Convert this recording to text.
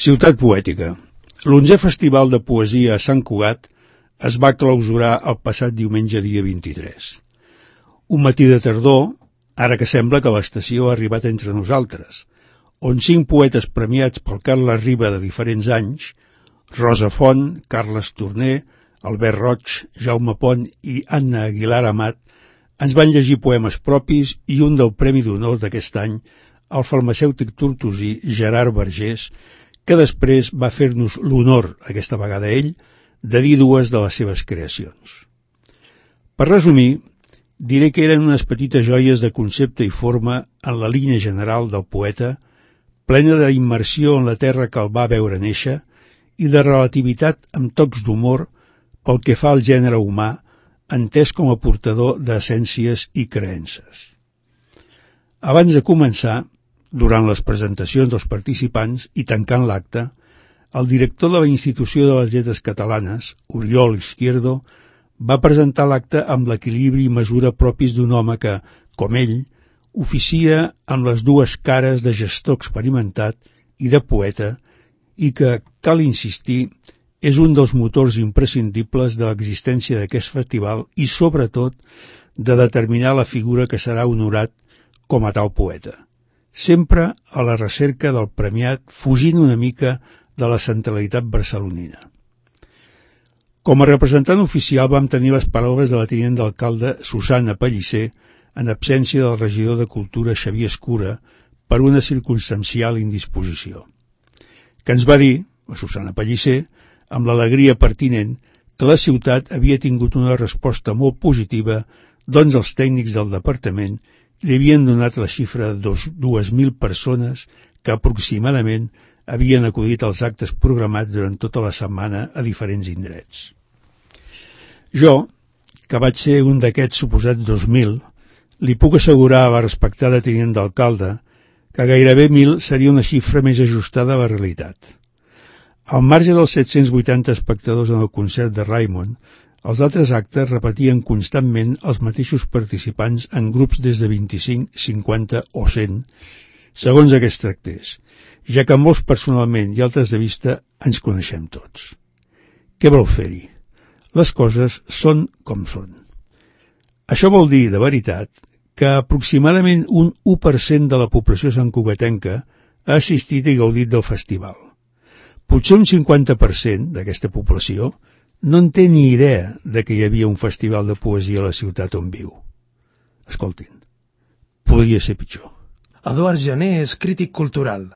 Ciutat Poètica. L'11è Festival de Poesia a Sant Cugat es va clausurar el passat diumenge dia 23. Un matí de tardor, ara que sembla que l'estació ha arribat entre nosaltres, on 5 poetes premiats pel Carles Riba de diferents anys, Rosa Font, Carles Torner, Albert Roig, Jaume Pont i Anna Aguilar Amat, ens van llegir poemes propis i un del Premi d'Honor d'aquest any, el farmacèutic tortosí Gerard Vergés, que després va fer-nos l'honor, aquesta vegada ell, de dir 2 de les seves creacions. Per resumir, diré que eren unes petites joies de concepte i forma en la línia general del poeta, plena d'immersió en la terra que el va veure néixer i de relativitat amb tocs d'humor pel que fa al gènere humà, entès com a portador d'essències i creences. Abans de començar, durant les presentacions dels participants i tancant l'acte, el director de la Institució de les Lletres Catalanes, Oriol Izquierdo, va presentar l'acte amb l'equilibri i mesura propis d'un home que, com ell, oficia amb les 2 cares de gestor experimentat i de poeta i que, cal insistir, és un dels motors imprescindibles de l'existència d'aquest festival i, sobretot, de determinar la figura que serà honorat com a tal poeta, sempre a la recerca del premiat, fugint una mica de la centralitat barcelonina. Com a representant oficial vam tenir les paraules de la tinent d'alcalde Susana Pellicer, en absència del regidor de Cultura Xavier Escura, per una circumstancial indisposició, que ens va dir, la Susana Pellicer, amb l'alegria pertinent, que la ciutat havia tingut una resposta molt positiva, doncs els tècnics del departament li havien donat la xifra de 2.000 persones que aproximadament havien acudit als actes programats durant tota la setmana a diferents indrets. Jo, que vaig ser un d'aquests suposats 2.000, li puc assegurar a la respectada tinent d'alcalde que gairebé 1.000 seria una xifra més ajustada a la realitat. Al marge dels 780 espectadors en el concert de Raimon, els altres actes repetien constantment els mateixos participants en grups des de 25, 50 o 100, segons aquests tractés, ja que molts personalment i altres de vista ens coneixem tots. Què vol fer-hi? Les coses són com són. Això vol dir, de veritat, que aproximadament un 1% de la població santcugatenca ha assistit i gaudit del festival. Potser un 50% d'aquesta població no en té ni idea de que hi havia un festival de poesia a la ciutat on viu. Escoltin, podria ser pitjor. Eduard Jané és crític cultural.